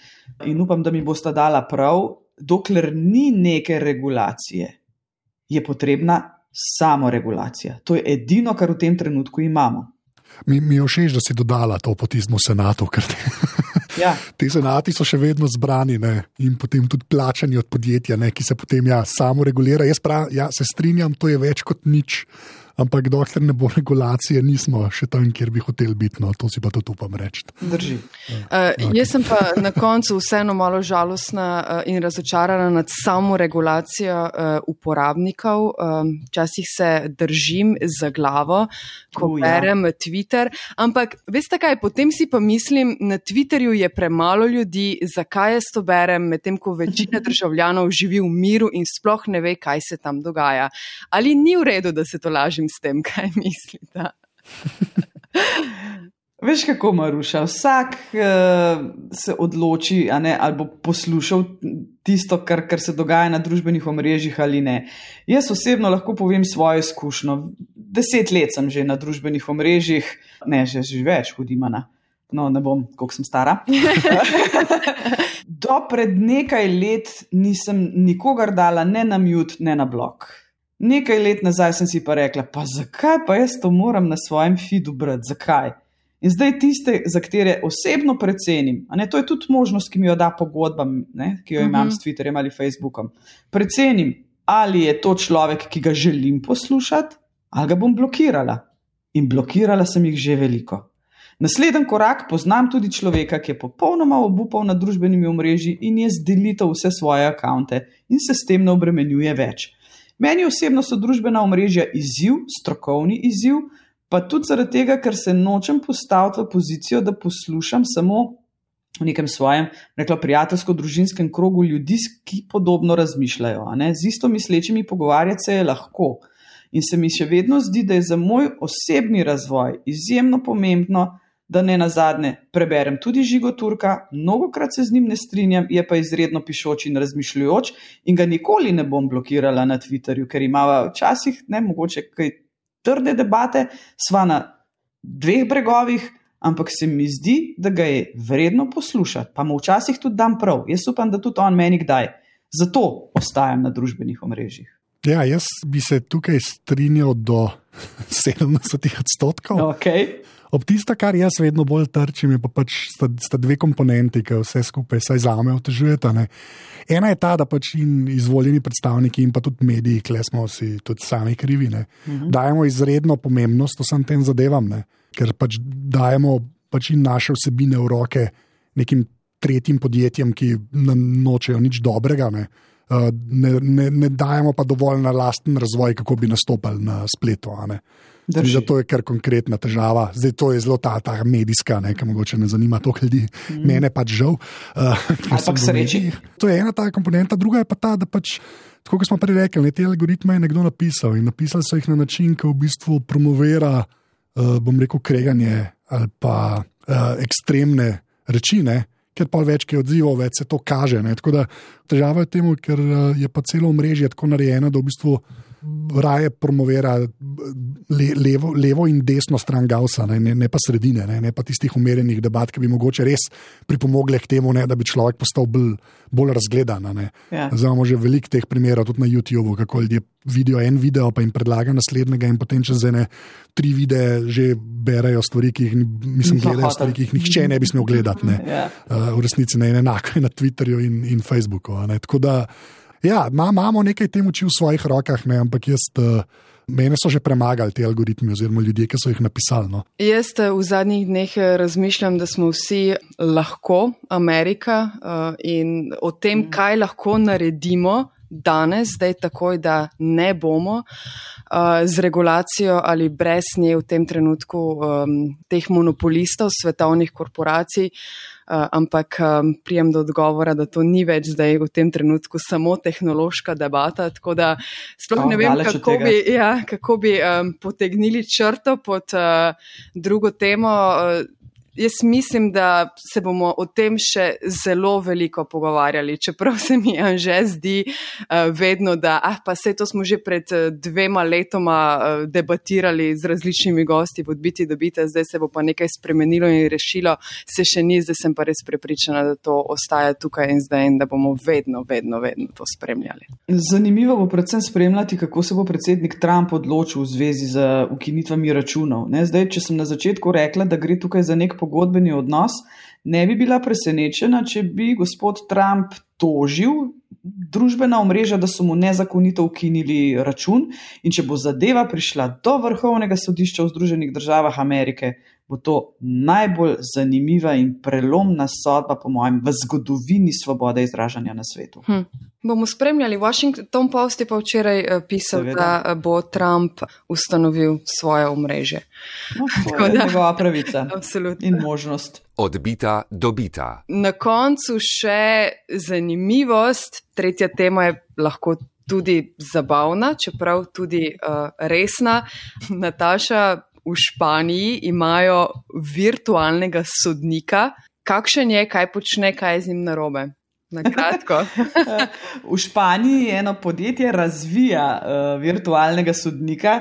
S4: in upam, da mi bosta dala prav, dokler ni neke regulacije, je potrebna samoregulacija. To je edino, kar v tem trenutku imamo.
S1: Mi, mi je všeč, da si dodala to potizmo senatu, ker te, ja. Te senati so še vedno zbrani, ne, in potem tudi plačani od podjetja, ne, ki se potem ja, samo regulira. Jaz prav, ja, se strinjam, to je več kot nič. Ampak dokler ne bo regulacije, nismo še tam, kjer bi hoteli biti, no, to si pa tudi upam reči.
S4: Drži.
S2: Uh, okay. Jaz sem pa na koncu vseeno malo žalostna uh, in razočarana nad samo regulacijo uh, uporabnikov. Včasih um, se držim za glavo, ko uh, berem ja. Twitter, ampak veste kaj, potem si pa mislim, na Twitterju je premalo ljudi, zakaj jaz to berem, medtem ko večina državljanov živi v miru in sploh ne ve, kaj se tam dogaja. Ali ni v redu, da se to lažem s tem, kaj mislite?
S4: Veš kako, Maruša, vsak uh, se odloči, a ne, ali bo poslušal tisto, kar, kar se dogaja na družbenih omrežjih ali ne. Jaz osebno lahko povem svojo izkušnjo. Deset let sem že na družbenih omrežjih, ne, že, že več, hudimana. No, ne bom, koliko sem stara. Do pred nekaj let nisem nikogar dala ne na mute, ne na blok. Nekaj let nazaj sem si pa rekla, pa zakaj pa jaz to moram na svojem feedu brati, zakaj? In zdaj tiste, za katere osebno precenim, a ne, to je tudi možnost, ki mi jo da pogodba, ne, ki jo imam uh-huh. s Twitterjem ali Facebookom, precenim, ali je to človek, ki ga želim poslušati, ali ga bom blokirala. In blokirala sem jih že veliko. Naslednji korak, poznam tudi človeka, ki je popolnoma obupal na družbenimi omrežji in je zdelitev vse svoje akaunte in se s tem ne obremenjuje več. Meni osebno so družbena omrežja izziv, strokovni izziv, pa tudi zaradi tega, ker se nočem postaviti v pozicijo, da poslušam samo v nekem svojem, rekla, prijateljsko-družinskem krogu ljudi, ki podobno razmišljajo. A ne? Z isto mislečimi pogovarjati se je lahko. In se mi še vedno zdi, da je za moj osebni razvoj izjemno pomembno, da ne nazadnje preberem tudi Žigo Turka, mnogokrat se z njim ne strinjam, je pa izredno pišoč in razmišljujoč in ga nikoli ne bom blokirala na Twitterju, ker imava včasih, ne, mogoče kaj trde debate, sva na dveh bregovih, ampak se mi zdi, da ga je vredno poslušati, pa mu včasih tudi dam prav. Jaz upam, da tudi on meni kdaj. Zato ostajam na družbenih omrežjih.
S1: Ja, jaz bi se tukaj strinjal do sedemdeset odstotkov.
S4: Okay.
S1: Ob tista, kar jaz vedno bolj trčim, je pa pač sta, sta dve komponenti, ki vse skupaj saj zame otežujeta. Ne. Ena je ta, da pač in izvoljeni predstavniki in pa tudi mediji, kle smo si tudi sami krivi, ne, uh-huh. dajemo izredno pomembnost vsem tem zadevam, ne, ker pač dajemo pač in naše vsebine v roke nekim tretjim podjetjem, ki nočejo nič dobrega, ne. Ne, ne, ne dajemo pa dovolj na lasten razvoj, kako bi nastopali na spletu. Zato je kar konkretna težava. Zdaj to je zelo ta, ta medijska, ne, ki mogoče ne zanima toliko ljudi. Mm. Mene pač žal. Uh,
S4: Ampak sreči.
S1: To je ena ta komponenta, druga je pa ta, da pač, tako kot smo prej rekli, ne, te algoritme je nekdo napisal in napisali so jih na način, ki v bistvu promovira, uh, bom rekel, kreganje ali pa uh, ekstremne reči, ne. Ker pa več je odzivov, več se to kaže. Ne? Tako da težava je temu, ker je pa celo omrežje tako narejeno, da v bistvu raje promovira le, levo, levo in desno stran Gaussa, ne, ne pa sredine, ne, ne pa tistih umerjenih debat, ki bi mogoče res pripomogle k temu, ne, da bi človek postal bolj, bolj razgledan. Ja. Zdaj imamo že veliko teh primerov, tudi na YouTubeu, kako ljudje vidijo en video, pa jim predlaga naslednjega in potem čez ene tri videe že berajo stvari, ki jih, mislim, gledajo stvari, ki jih nihče ne bi smel gledati. Ne. Ja. Uh, v resnici ne enako je na Twitterju in, in Facebooku. Ne. Tako da Ja, imamo nekaj tem oči v svojih rokah, ne, ampak jaz, uh, mene so že premagali ti algoritmi oziroma ljudje, ki so jih napisali. No.
S2: Jaz v zadnjih dneh razmišljam, da smo vsi lahko Amerika uh, in o tem, kaj lahko naredimo danes, zdaj takoj, da ne bomo uh, z regulacijo ali brez nje v tem trenutku um, teh monopolistov, svetovnih korporacij, uh, ampak um, prijem do odgovora, da to ni več zdaj v tem trenutku samo tehnološka debata, tako da sploh ne vem, kako bi, ja, kako bi um, potegnili črto pod uh, drugo temo. Uh, Jaz mislim, da se bomo o tem še zelo veliko pogovarjali, čeprav se mi Anže zdi uh, vedno, da ah, pa sej to smo že pred uh, dvema letoma uh, debatirali z različnimi gosti v Odbiti dobite, zdaj se bo pa nekaj spremenilo in rešilo, se še ni, zdaj sem pa res prepričana, da to ostaja tukaj in zdaj in da bomo vedno, vedno, vedno to spremljali.
S4: Zanimivo bo predvsem spremljati, kako se bo predsednik Trump odločil v zvezi z ukinitvami računov. Ne? Zdaj, če sem na začetku rekla, da gre tukaj za nek pogodbeni odnos, ne bi bila presenečena, če bi gospod Trump tožil družbena omrežja, da so mu nezakonito ukinili račun in če bo zadeva prišla do Vrhovnega sodišča v Združenih državah Amerike, bo to najbolj zanimiva in prelomna sodba, po mojem, v zgodovini svobode izražanja na svetu.
S2: Hm. Bomo spremljali. Washington Post je pa včeraj pisal, Seveda. da bo Trump ustanovil svoje omrežje.
S4: No, to je njegova pravica
S2: Absolutno.
S4: In možnost.
S3: Odbita dobita.
S2: Na koncu še zanimivost. Tretja tema je lahko tudi zabavna, čeprav tudi uh, resna. Nataša, v Španiji imajo virtualnega sodnika. Kakšen je, kaj počne, kaj je z njim narobe? Na kratko.
S4: V Španiji eno podjetje razvija uh, virtualnega sodnika,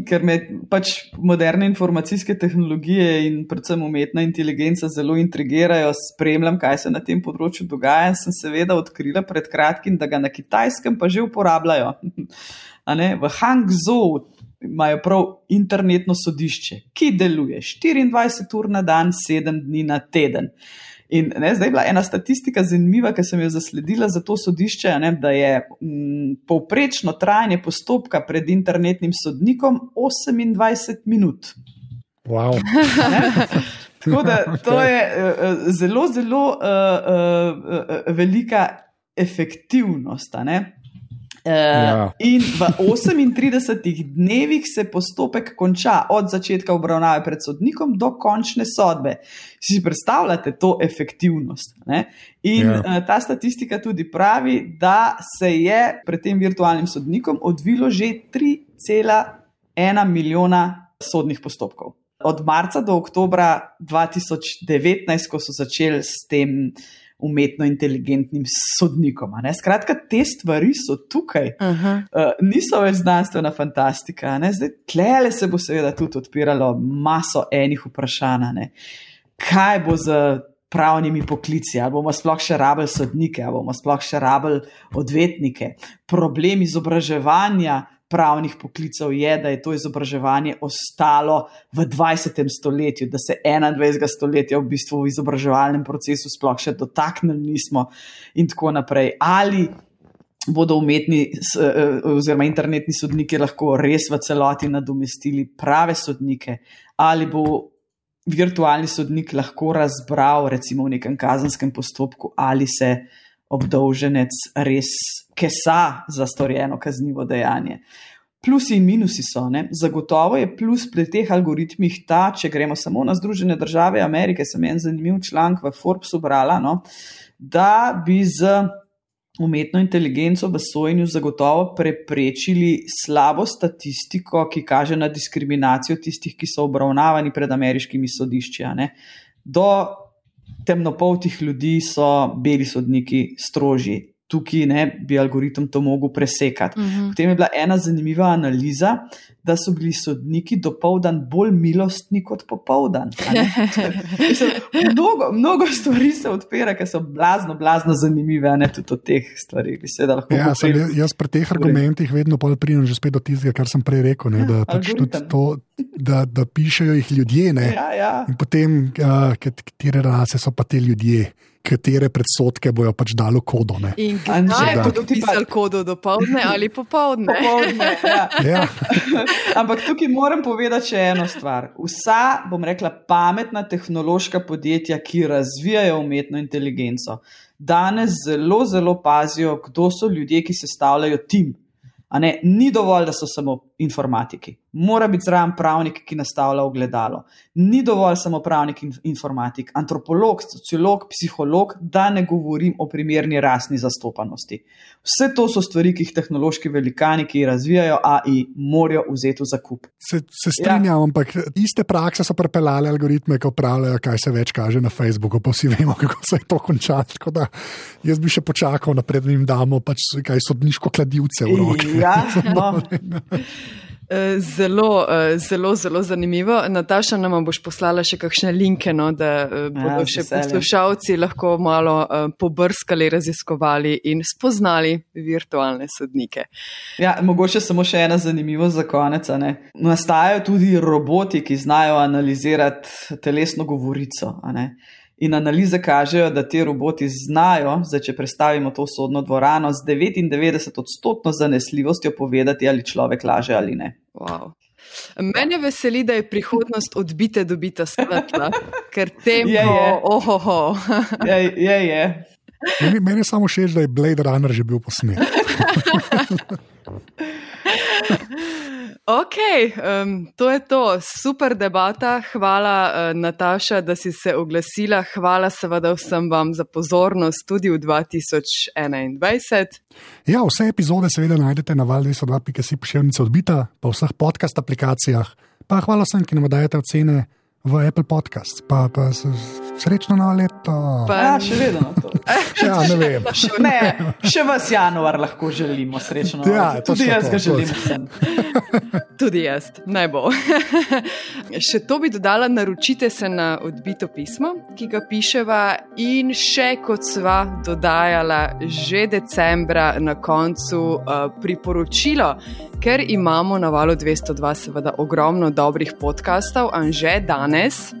S4: ker me pač moderne informacijske tehnologije in predvsem umetna inteligenca zelo intrigirajo, spremljam, kaj se na tem področju dogaja in sem seveda odkrila pred kratkim, da ga na Kitajskem pa že uporabljajo. A ne? V Hangzhou imajo prav internetno sodišče, ki deluje štiriindvajset ur na dan, sedem dni na teden. In ne, zdaj je bila ena statistika zanimiva, ki sem jo zasledila za to sodišče, ne, da je m, povprečno trajanje postopka pred internetnim sodnikom osemindvajset minut.
S1: Wow.
S4: Tako da to je uh, zelo, zelo uh, uh, uh, velika efektivnost, a ne? Uh, ja. In v osemintridesetih dnevih se postopek konča od začetka obravnave pred sodnikom do končne sodbe. Si predstavljate to efektivnost? Ne? In ja. uh, ta statistika tudi pravi, da se je pred tem virtualnim sodnikom odvilo že tri cela ena milijona sodnih postopkov. Od marca do oktobra dva tisoč devetnajst, ko so začeli s tem umetno inteligentnim sodnikom. Ne? Skratka, te stvari so tukaj. Uh-huh. Uh, niso več znanstvena fantastika. Ne? Zdaj, tlele se bo seveda tudi odpiralo maso enih vprašanj. Ne? Kaj bo z pravnimi poklici? Ali bomo sploh še rabili sodnike? Ali bomo sploh še rabili odvetnike? Problem izobraževanja pravnih poklicev je, da je to izobraževanje ostalo v dvajsetem stoletju, da se enaindvajsetega stoletja v bistvu v izobraževalnem procesu sploh še dotaknili nismo in tako naprej. Ali bodo umetni oziroma internetni sodniki lahko res v celoti nadomestili prave sodnike, ali bo virtualni sodnik lahko razbral recimo v nekem kazenskem postopku, ali se obdolženec res kesa za storjeno kaznivo dejanje. Plusi in minusi so, ne? Zagotovo je plus pri teh algoritmih ta, če gremo samo na Združene države Amerike, sem en zanimiv članek v Forbesu brala, no? Da bi z umetno inteligenco v sojenju zagotovo preprečili slabo statistiko, ki kaže na diskriminacijo tistih, ki so obravnavani pred ameriškimi sodišči. Ne? Do temnopoltih ljudi so beli sodniki strožji. Tukaj ne, bi algoritem to mogel presekati. Uh-huh. Potem je bila ena zanimiva analiza, da so bili sodniki dopoldan bolj milostni kot popoldan. mnogo, mnogo stvari se odpira, ki so blazno, blazno zanimive, a ne tudi od teh stvari.
S1: Ja, sem, jaz pri teh argumentih vedno pridem že spet do tistega, kar sem prej rekel, ne, da pač tudi to, da, da pišejo jih ljudje.
S4: Ja, ja.
S1: In potem, uh, katere rase so pa te ljudje, katere predsodke bojo pač dalo kodo. Ne?
S2: In kdaj bodo pisali kodo, dopoldne ali popoldne?
S4: Popoldne, ja.
S1: Ja.
S4: Ampak tukaj moram povedati še eno stvar. Vsa, bom rekla, pametna tehnološka podjetja, ki razvijajo umetno inteligenco, danes zelo, zelo pazijo, kdo so ljudje, ki sestavljajo tim. A ne, ni dovolj, da so samo informatiki. Mora biti zraven pravnik, ki nastavlja ogledalo. Ni dovolj samo pravnik in informatik, antropolog, sociolog, psiholog, da ne govorim o primerni rasni zastopanosti. Vse to so stvari, ki jih tehnološki velikani, ki razvijajo A I, morajo vzeti v zakup.
S1: Se, se strinjam, ja. Ampak iste prakse so prepeljale algoritme, ki upravljajo, kaj se več kaže na Facebooku, pa vsi vemo, kako se je to končalo. Tako da jaz bi še počakal napred, da jim damo pač kaj sodniško kladivce v roke.
S4: Ja, no.
S2: Zelo, zelo, zelo zanimivo. Nataša, nama boš poslala še kakšne linke, no, da bodo ja, še poslušalci lahko malo pobrskali, raziskovali in spoznali virtualne sodnike.
S4: Ja, mogoče samo še ena zanimivo za konec. Ne? Nastajajo tudi roboti, ki znajo analizirati telesno govorico. A ne? In analize kažejo, da te roboti znajo, zdaj, če predstavimo to sodno dvorano, z devetindevetdeset odstotno zanesljivostjo povedati, ali človek laže ali ne.
S2: Wow. Mene veseli, da je prihodnost odbite dobita svetla, ker tempo,
S4: je, je.
S2: ohoho.
S4: Je, je, je.
S1: Meni, meni je samo všeč, da je Blade Runner že bil posnet.
S2: Ok, um, to je to. Super debata. Hvala, uh, Nataša, da si se oglasila. Hvala seveda vsem vam za pozornost tudi v dva tisoč enaindvajset.
S1: Ja, vse epizode seveda najdete na val dvesto dva pika si pošiljnica odbita, pa v vseh podcast aplikacijah. Pa hvala vsem, ki nam dajete ocene v Apple Podcasts. Pa, pa srečno novo leto.
S4: Pa ja, še vedno to.
S1: Ja, ne vem.
S4: Ne, še vas januar lahko želimo srečno.
S1: Ja,
S4: tudi jaz
S1: to,
S4: ga želim vsem.
S2: Tudi jaz, naj bo. Še to bi dodala, naročite se na odbito pismo, ki ga piševa, in še kot sva dodajala že decembra na koncu uh, priporočilo, ker imamo na valu dvesto dva seveda ogromno dobrih podcastov, Anže, danes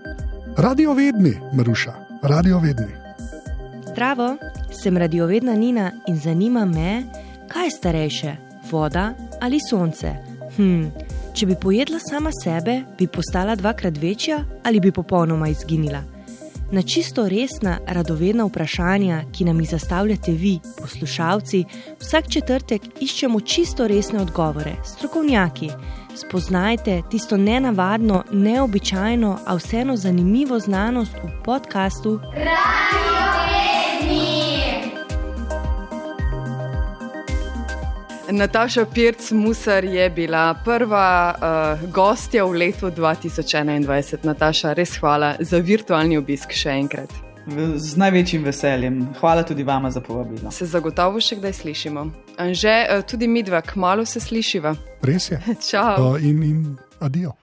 S1: Radiovedni, Maruša, Radiovedni.
S5: Zdravo, sem radiovedna Nina in zanima me, kaj je starejše, voda ali sonce? Hm, če bi pojedla sama sebe, bi postala dvakrat večja ali bi popolnoma izginila? Na čisto resna, radovedna vprašanja, ki nam jih zastavljate vi, poslušalci, vsak četrtek iščemo čisto resne odgovore, strokovnjaki. Spoznajte tisto nenavadno, neobičajno, a vseeno zanimivo znanost v podkastu Radiovedni.
S2: Nataša Pirc-Musar je bila prva uh, gostja v letu dva tisoč enaindvajset. Nataša, res hvala za virtualni obisk še enkrat.
S4: Z največjim veseljem. Hvala tudi vama za povabilo.
S2: Se zagotovo še kdaj slišimo. Anže, uh, tudi midva, kmalu se slišiva.
S1: Res je.
S2: Čau.
S1: Uh, in, in adijo.